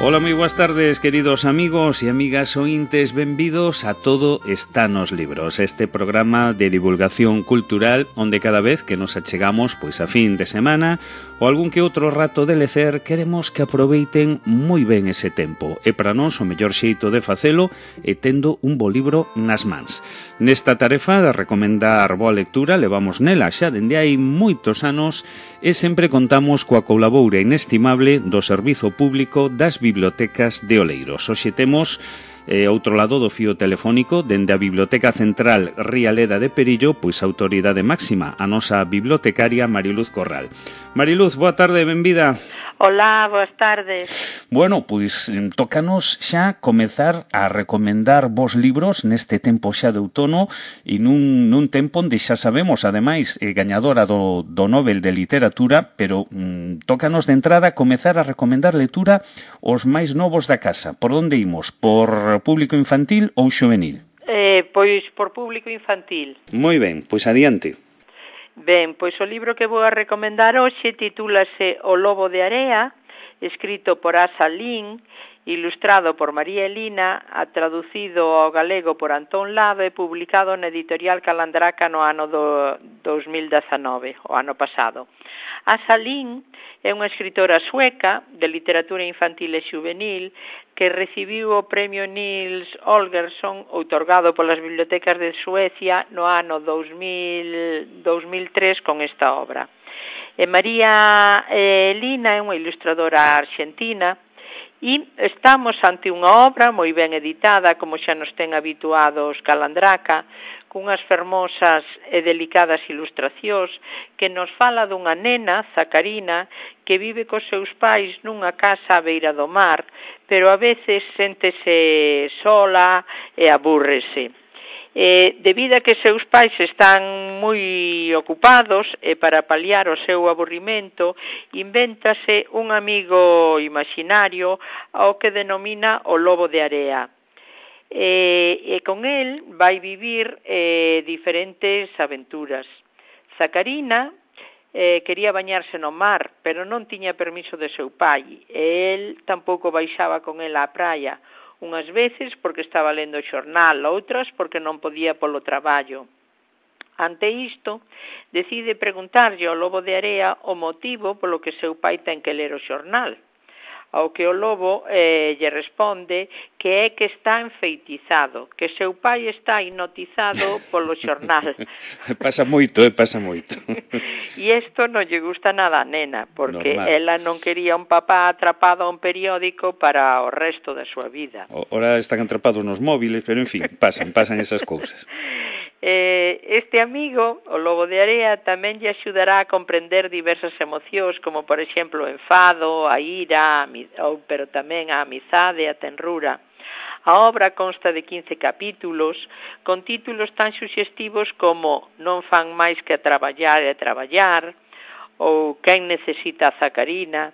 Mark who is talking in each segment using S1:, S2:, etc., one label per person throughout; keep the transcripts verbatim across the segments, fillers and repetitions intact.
S1: Ola, moi boas tardes, queridos amigos e amigas ointes, benvidos a Todo está nos libros, este programa de divulgación cultural onde cada vez que nos achegamos pois a fin de semana ou algún que outro rato de lecer, queremos que aproveiten moi ben ese tempo e para nós o mellor xeito de facelo é tendo un bo libro nas mans. Nesta tarefa de recomendar boa lectura levamos nela xa dende hai moitos anos e sempre contamos coa colaboura inestimable do Servizo Público das Bibliotecas de Oleiros. Hoxe temos eh, outro lado do fío telefónico dende a Biblioteca Central Rialeda de Perillo, pois a autoridade máxima, a nosa bibliotecaria Mariluz Corral. Mariluz, boa tarde, benvida.
S2: Hola, boas tardes.
S1: Bueno, pois tócanos xa comezar a recomendar vos libros neste tempo xa de outono e nun, nun tempo onde xa sabemos, ademais, eh, gañadora do, do Nobel de Literatura, pero mm, tócanos de entrada comezar a recomendar lectura os máis novos da casa. Por onde imos? Por público infantil ou xuvenil?
S2: Eh, pois por público infantil.
S1: Moi ben, pois adiante.
S2: Ben, pois o libro que vou a recomendar hoxe titúlase O Lobo de Area, escrito por Asa Lin, ilustrado por María Elina, traducido ao galego por Antón Lado e publicado na editorial Calandraca no ano do dos mil dezanove, o ano pasado. Asa Lin é unha escritora sueca de literatura infantil e juvenil que recibiu o premio Nils Holgersson outorgado polas bibliotecas de Suecia no ano dos mil tres con esta obra. E María Elina é unha ilustradora arxentina e estamos ante unha obra moi ben editada, como xa nos ten habituados Calandraca, cunhas fermosas e delicadas ilustracións que nos fala dunha nena, Zacarina, que vive cos seus pais nunha casa á beira do mar, pero a veces séntese sola e abúrrese. Eh, debido a que seus pais están moi ocupados e para paliar o seu aburrimento invéntase un amigo imaginario ao que denomina o Lobo de Area. E, e con el vai vivir eh, diferentes aventuras. Zacarina eh, quería bañarse no mar, pero non tiña permiso de seu pai, e el tampouco baixaba con ela á praia, unhas veces porque estaba lendo o xornal, outras porque non podía polo traballo. Ante isto, decide preguntarlle ao Lobo de Area o motivo polo que seu pai ten que ler o xornal. Ao que o lobo eh, lle responde que é que está enfeitizado, que seu pai está hipnotizado polo xornal.
S1: Pasa moito, eh, pasa moito.
S2: E isto non lle gusta nada a nena, porque
S1: normal.
S2: Ela non quería un papá atrapado a un periódico para o resto da súa vida.
S1: Ora están atrapados nos móviles, pero en fin, pasan, pasan esas cousas.
S2: Eh, este amigo, o Lobo de Area, tamén lle axudará a comprender diversas emocións, como por exemplo o enfado, a ira, a, ou, pero tamén a amizade, a tenrura. A obra consta de quince capítulos, con títulos tan suxestivos como Non fan máis que a traballar e a traballar, ou Quen necesita a Zacarina.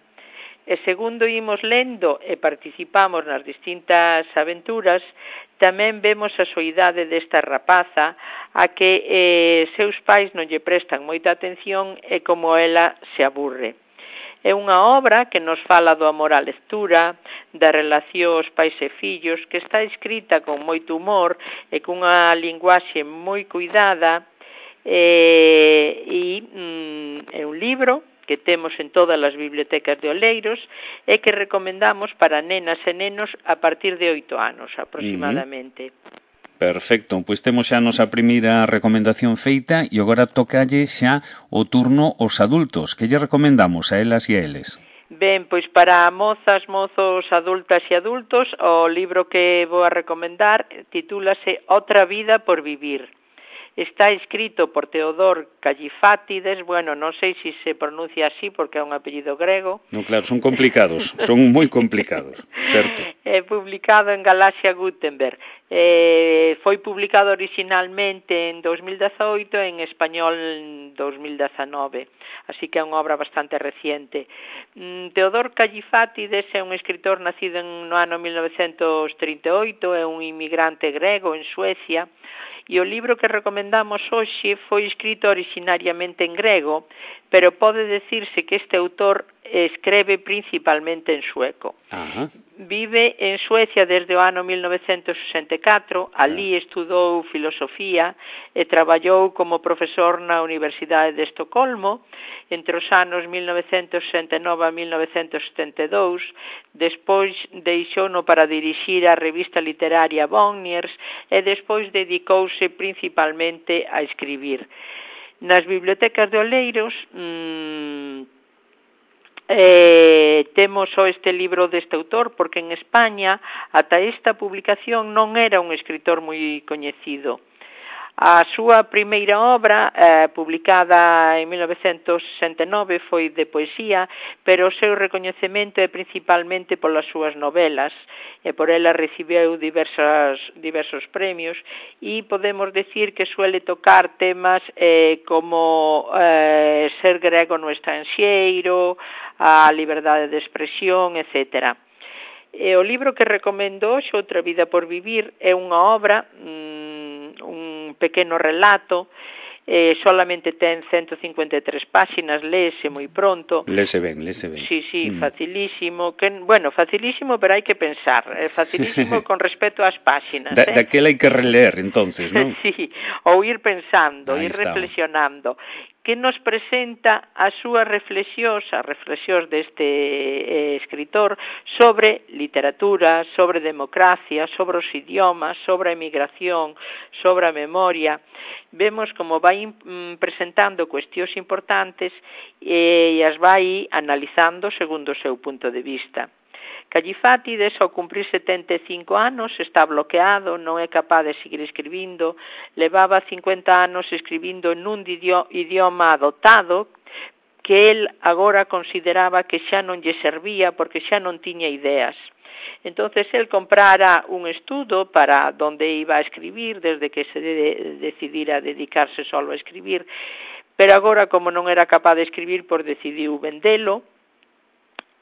S2: E segundo imos lendo e participamos nas distintas aventuras, tamén vemos a soidade desta rapaza a que eh, seus pais non lle prestan moita atención e como ela se aburre. É unha obra que nos fala do amor á lectura, da relación aos pais e fillos, que está escrita con moito humor e cunha linguaxe moi cuidada, e, e mm, é un libro que temos en todas as bibliotecas de Oleiros e que recomendamos para nenas e nenos a partir de oito anos aproximadamente.
S1: Uh-huh. Perfecto, pois temos xa a nosa primeira recomendación feita e agora tocalle xa o turno aos adultos. Que lle recomendamos a elas e a eles?
S2: Ben, pois para mozas, mozos, adultas e adultos, o libro que vou a recomendar titúlase Outra vida por vivir. Está escrito por Teodor Kallifátides, bueno, non sei se se pronuncia así porque é un apellido grego.
S1: Non, claro, son complicados, son moi complicados, certo.
S2: É publicado en Galaxia Gutenberg. Eh, foi publicado originalmente en dos mil dezaoito e en español en dos mil dezanove, así que é unha obra bastante reciente. Teodor Kallifátides é un escritor nacido no ano mil novecentos trinta e oito, é un inmigrante grego en Suecia, e o libro que recomendamos hoxe foi escrito originariamente en grego, pero pode decirse que este autor escreve principalmente en sueco.
S1: Ajá.
S2: vive en Suecia desde o ano mil novecentos sesenta e catro, ali estudou filosofía e traballou como profesor na Universidade de Estocolmo entre os anos mil novecentos sesenta e nove a mil novecentos setenta e dous, despois deixouno para dirixir a revista literaria Bonniers e despois dedicouse principalmente a escribir. Nas bibliotecas de Oleiros mmm, Eh, temos só este libro deste autor porque en España ata esta publicación non era un escritor moi coñecido. A súa primeira obra, eh, publicada en mil novecentos sesenta e nove, foi de poesía, pero o seu recoñecemento é principalmente polas súas novelas, e por ela recibeu diversas, diversos premios, e podemos decir que suele tocar temas eh, como eh, ser grego no estranxeiro, a liberdade de expresión, etcétera. E o libro que recomendo hoxe, Outra vida por vivir, é unha obra, mm, un pequeno relato, eh, solamente ten ciento cincuenta e tres páxinas, léese moi pronto.
S1: Léese ben, léese ben.
S2: Sí, sí, mm. facilísimo, que, bueno, facilísimo, pero hai que pensar, eh, facilísimo con respecto ás páxinas.
S1: Da,
S2: eh?
S1: Daquela hai que releer, entonces, non?
S2: Sí, ou ir pensando,
S1: Ahí
S2: ir
S1: está.
S2: reflexionando, que nos presenta as súas reflexións, as reflexións deste eh, escritor sobre literatura, sobre democracia, sobre os idiomas, sobre a emigración, sobre a memoria. Vemos como vai mm, presentando cuestións importantes e as vai analizando segundo o seu punto de vista. Callifátides, ao cumprir setenta e cinco anos, está bloqueado, non é capaz de seguir escribindo, levaba cincuenta anos escribindo nun idioma adoptado que el agora consideraba que xa non lle servía porque xa non tiña ideas. Entonces el comprara un estudo para donde iba a escribir desde que se de, decidira dedicarse solo a escribir, pero agora como non era capaz de escribir, pois decidiu vendelo.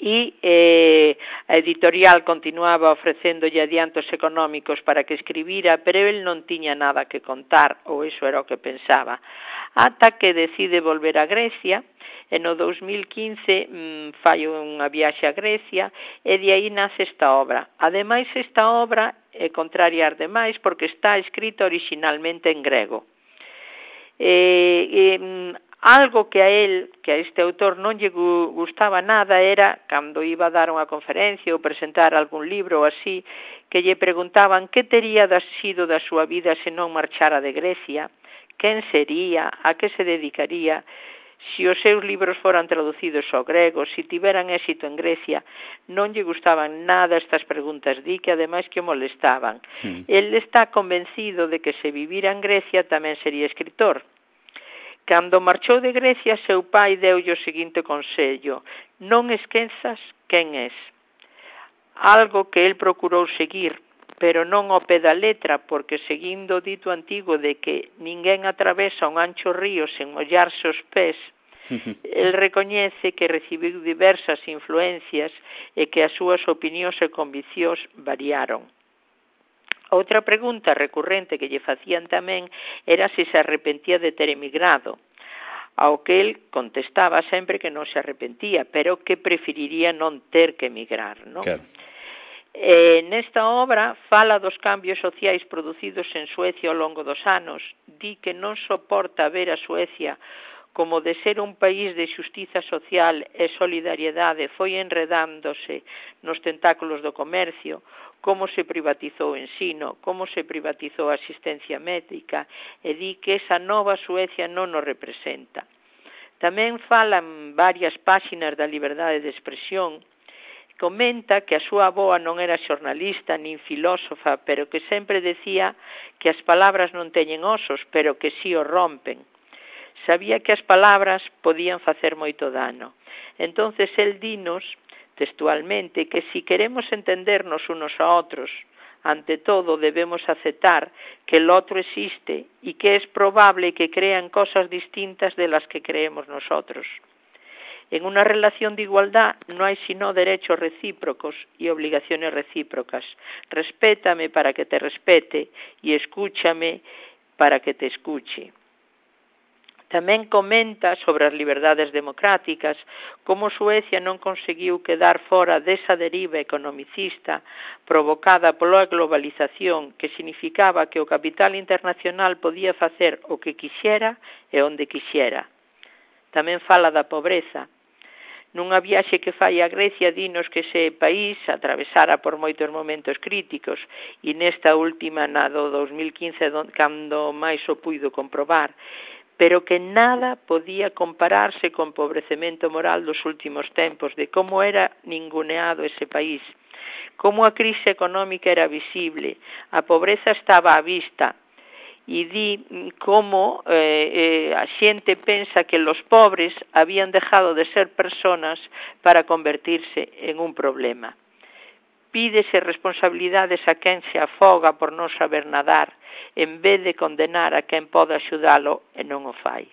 S2: E eh, a editorial continuaba ofrecéndolle adiantos económicos para que escribira, pero el non tiña nada que contar, ou iso era o que pensaba. Ata que decide volver a Grecia, e no dos mil quince mmm, fai unha viaxe a Grecia, e de aí nace esta obra. Ademais, esta obra é contraria ás demais porque está escrita originalmente en grego. Eh, eh, Algo que a él, que a este autor non lle gustaba nada era, cando iba a dar unha conferencia ou presentar algún libro ou así, que lle preguntaban que tería sido da súa vida se non marchara de Grecia, quen sería, a que se dedicaría, se os seus libros foran traducidos ao grego, se tiveran éxito en Grecia. Non lle gustaban nada estas preguntas, di que ademais que o molestaban. Sí. El está convencido de que se vivira en Grecia tamén sería escritor. Cando marchou de Grecia, seu pai deulle o seguinte consello: non esquezas quen és. Algo que el procurou seguir, pero non ao pé da letra, porque seguindo o dito antigo de que ninguén atravesa un ancho río sen mollarse os pés, el recoñece que recibiu diversas influencias e que as súas opinións e conviccións variaron. Outra pregunta recurrente que lle facían tamén era se se arrepentía de ter emigrado, ao que el contestaba sempre que non se arrepentía, pero que preferiría non ter que emigrar, non? Claro. Eh, nesta obra fala dos cambios sociais producidos en Suecia ao longo dos anos, di que non soporta ver a Suecia como de ser un país de xustiza social e solidariedade foi enredándose nos tentáculos do comercio, como se privatizou o ensino, como se privatizou a asistencia médica, e di que esa nova Suecia non nos representa. Tamén falan varias páxinas da liberdade de expresión. Comenta que a súa avoa non era xornalista nin filósofa, pero que sempre decía que as palabras non teñen osos, pero que si os rompen. Sabía que as palabras podían facer moito dano. Entonces el dinos textualmente que si queremos entendernos unos a otros, ante todo debemos aceptar que el otro existe y que es probable que crean cosas distintas de las que creemos nosotros. En una relación de igualdad no hay sino derechos recíprocos y obligaciones recíprocas. Respétame para que te respete y escúchame para que te escuche. Tamén comenta sobre as liberdades democráticas, como Suecia non conseguiu quedar fora desa deriva economicista provocada pola globalización, que significaba que o capital internacional podía facer o que quixera e onde quixera. Tamén fala da pobreza. Nunha viaxe que fai a Grecia, dinos que ese país atravesara por moitos momentos críticos, e nesta última, na do dos mil quince, cando máis o puido comprobar, pero que nada podía compararse co empobrecemento moral dos últimos tempos, de como era ninguneado ese país, como a crise económica era visible, a pobreza estaba á vista, e di como eh, eh, a xente pensa que los pobres habían dejado de ser personas para convertirse en un problema. Pídese responsabilidades a quen se afoga por non saber nadar, en vez de condenar a quen pode axudalo e non o fai.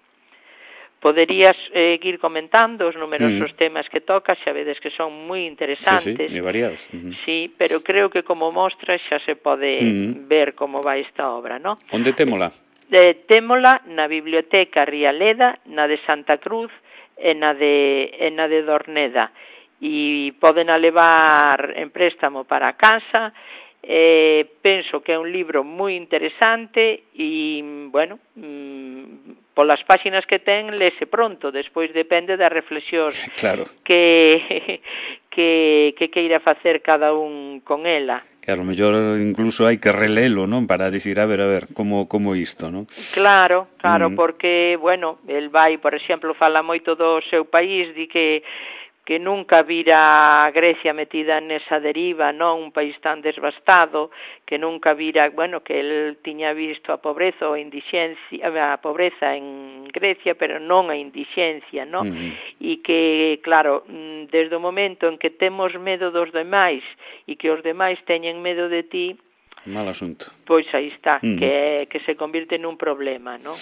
S2: Poderías eh, ir comentando os numerosos mm. temas que tocas, xa vedes que son moi interesantes.
S1: Sí, sí, e variados.
S2: Uh -huh. Sí, pero creo que como mostra xa se pode mm. ver como vai esta obra, ¿no?
S1: Onde témola?
S2: Eh, témola na Biblioteca Rialeda, na de Santa Cruz e na de, e na de Dorneda. E poden a levar en préstamo para a casa. Eh, penso que é un libro moi interesante e, bueno, mm, polas páxinas que ten, lese pronto, despois depende das reflexións
S1: claro.
S2: que, que, que queira facer cada un con ela.
S1: Que a lo mellor incluso hai que relelo, non? Para dicir, a ver, a ver, como, como isto, non?
S2: Claro, claro, mm. porque, bueno, el vai, por exemplo, fala moito do seu país, di que que nunca vira a Grecia metida nesa deriva, non? Un país tan desbastado, que nunca vira, bueno, que el tiña visto a pobreza ou a indixencia, a pobreza en Grecia, pero non a indixencia, non? Uh-huh. E que, claro, desde o momento en que temos medo dos demais e que os demais teñen medo de ti,
S1: mal asunto.
S2: Pois aí está, uh-huh. que, que se convirte nun problema, non?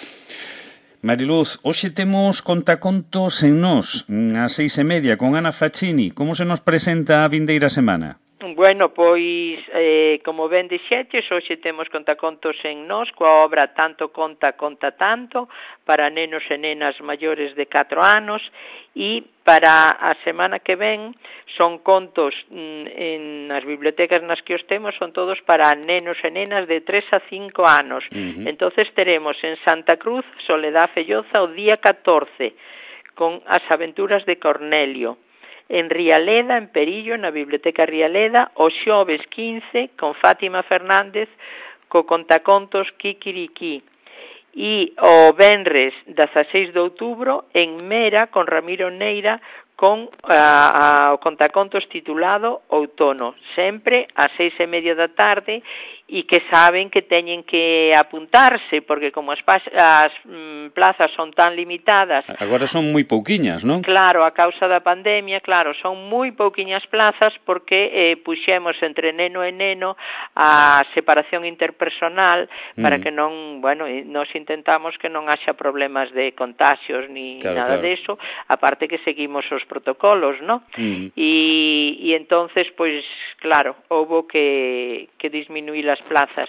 S1: Mariluz, hoxe temos contacontos en Nós, ás seis e media, con Ana Facchini. Como se nos presenta a vindeira semana?
S2: Bueno, pois, eh, como ben dixeches, hoxe temos contacontos en Nós, coa obra Tanto conta, conta tanto, para nenos e nenas maiores de catro anos, e para a semana que ven son contos mm, en nas bibliotecas nas que os temos, son todos para nenos e nenas de tres a cinco anos. Uh-huh. Entonces teremos en Santa Cruz, Soledad Felloza, o día catorce, con As aventuras de Cornelio. En Rialeda, en Perillo, na Biblioteca Rialeda, o xoves quince, con Fátima Fernández, co contacontos Kikiriki. E o venres dezaseis de outubro, en Mera, con Ramiro Neira, con a, a, o contacontos titulado Outono, sempre ás seis e media da tarde, e que saben que teñen que apuntarse, porque como as, as mm, plazas son tan limitadas...
S1: Agora son moi pouquiñas, non?
S2: Claro, a causa da pandemia, claro, son moi pouquiñas plazas, porque eh, puxemos entre neno e neno a separación interpersonal, para mm. que non, bueno, nos intentamos que non haxa problemas de contagios, ni claro, nada claro. de eso, aparte que seguimos os protocolos, ¿no? Mm. Y, y entonces, pues, claro, houbo que, que disminuir as plazas.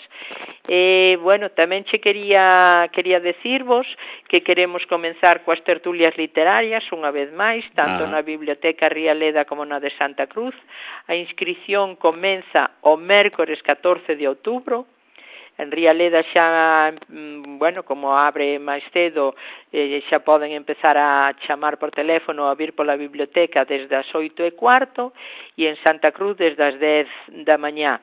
S2: Eh, bueno, tamén che quería, quería decirvos que queremos comenzar coas tertulias literarias, unha vez máis, tanto ah. na Biblioteca Rialeda como na de Santa Cruz. A inscripción comeza o mércores catorce de outubro. En Rialeda xa, bueno, como abre máis cedo, eh, xa poden empezar a chamar por teléfono a vir pola biblioteca desde as oito e cuarto, e en Santa Cruz desde as dez da mañá.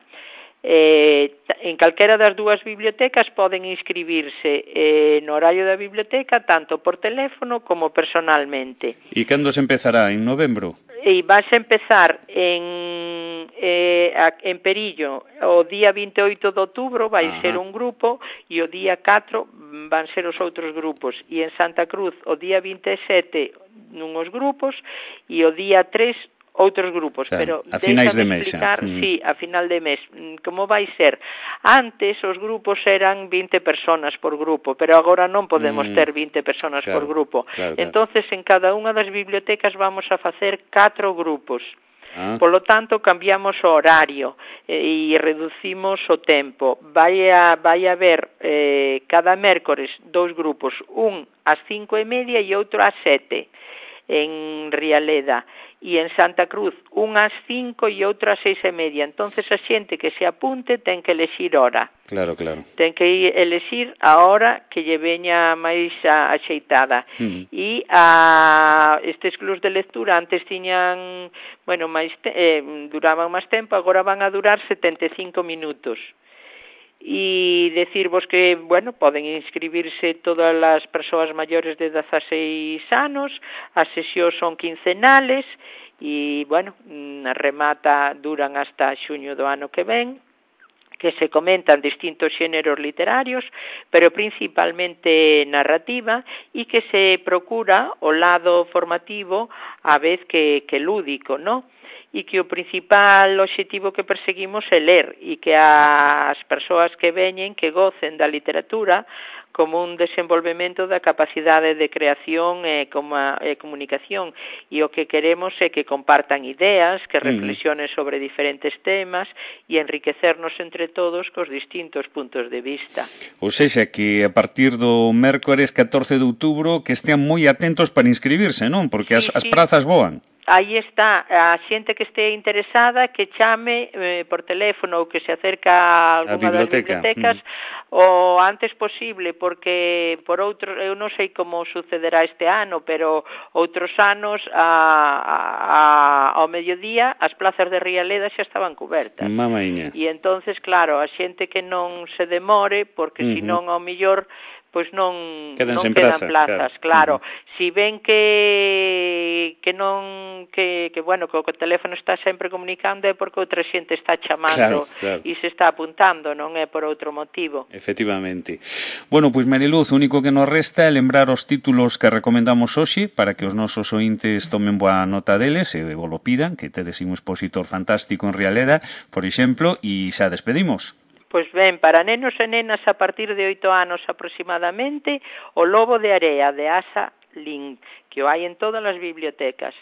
S2: Eh, en calquera das dúas bibliotecas poden inscribirse eh, no horario da biblioteca tanto por teléfono como personalmente.
S1: E cando se empezará? En novembro?
S2: E vas a empezar en, eh, en Perillo o día vinte e oito de outubro, vai Ajá. ser un grupo, e o día catro van ser os outros grupos, e en Santa Cruz o día vinte e sete nunhos grupos e o día tres outros grupos, o sea, pero
S1: a finais de mes
S2: explicar, mm. sí, a final de mes, como vai ser. Antes os grupos eran vinte personas por grupo, pero agora non podemos mm. ter vinte personas claro, por grupo. Claro, claro. Entonces, en cada unha das bibliotecas vamos a facer catro grupos. Ah. Polo tanto, cambiamos o horario e reducimos o tempo. Vai a, vai a haber eh, cada mércores dous grupos, un ás cinco e media e outro ás sete en Rialeda, e en Santa Cruz un ás cinco e outro ás seis e media. Entonces a xente que se apunte ten que elexir hora.
S1: Claro, claro.
S2: Ten que elexir a hora que lle veña máis axeitada. Uh-huh. E a estes clubs de lectura antes tiñan, bueno, máis te, eh, duraban máis tempo, agora van a durar setenta e cinco minutos. E decirvos que, bueno, poden inscribirse todas as persoas maiores de dezaseis anos, as sesións son quincenales e, bueno, remata, duran hasta xuño do ano que ven, que se comentan distintos xéneros literarios, pero principalmente narrativa, e que se procura o lado formativo a vez que, que lúdico, ¿no? E que o principal obxectivo que perseguimos é ler e que as persoas que veñen que gocen da literatura como un desenvolvemento da capacidade de creación e, como a, e comunicación, e o que queremos é que compartan ideas, que reflexionen sobre diferentes temas e enriquecernos entre todos cos distintos puntos de vista.
S1: Ou seja, que a partir do mércores catorce de outubro que estean moi atentos para inscribirse, non? Porque
S2: sí,
S1: as, as
S2: sí.
S1: prazas voan.
S2: Aí está, a xente que este interesada que chame eh, por teléfono ou que se acerca a alguna das bibliotecas mm. o antes posible, porque por outro, eu non sei como sucederá este ano, pero outros anos a, a, a, ao mediodía as plazas de Rialeda xa estaban cubertas.
S1: Mamaña.
S2: E entonces, claro, a xente que non se demore, porque uh-huh. senón ao millor pois non, non quedan plaza, plazas, claro. claro. Uh-huh. Si ven que que non que, que bueno, que o teléfono está sempre comunicando é porque outra xente está chamando claro, claro. e se está apuntando, non é por outro motivo.
S1: Efectivamente. Bueno, pois Mariluz, o único que nos resta é lembrar os títulos que recomendamos hoxe para que os nosos ointes tomen boa nota deles e vos lo pidan, que tedes un expositor fantástico en Rialeda, por exemplo, e xa despedimos.
S2: Pois ben, para nenos e nenas a partir de oito anos aproximadamente, O lobo de area, de Asa Lin, que o hai en todas as bibliotecas.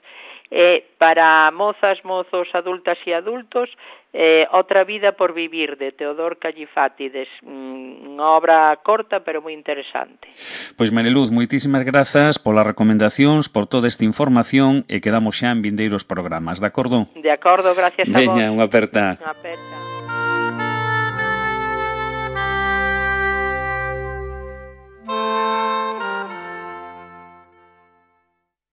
S2: E para mozas, mozos, adultas e adultos, eh, Outra vida por vivir, de Teodor Callifátides, unha obra corta pero moi interesante.
S1: Pois Mariluz, moitísimas grazas polas recomendacións, por toda esta información, e quedamos xa en vindeiros programas, de acordo?
S2: De acordo, gracias a vos.
S1: Veña, unha aperta.
S2: Unha aperta.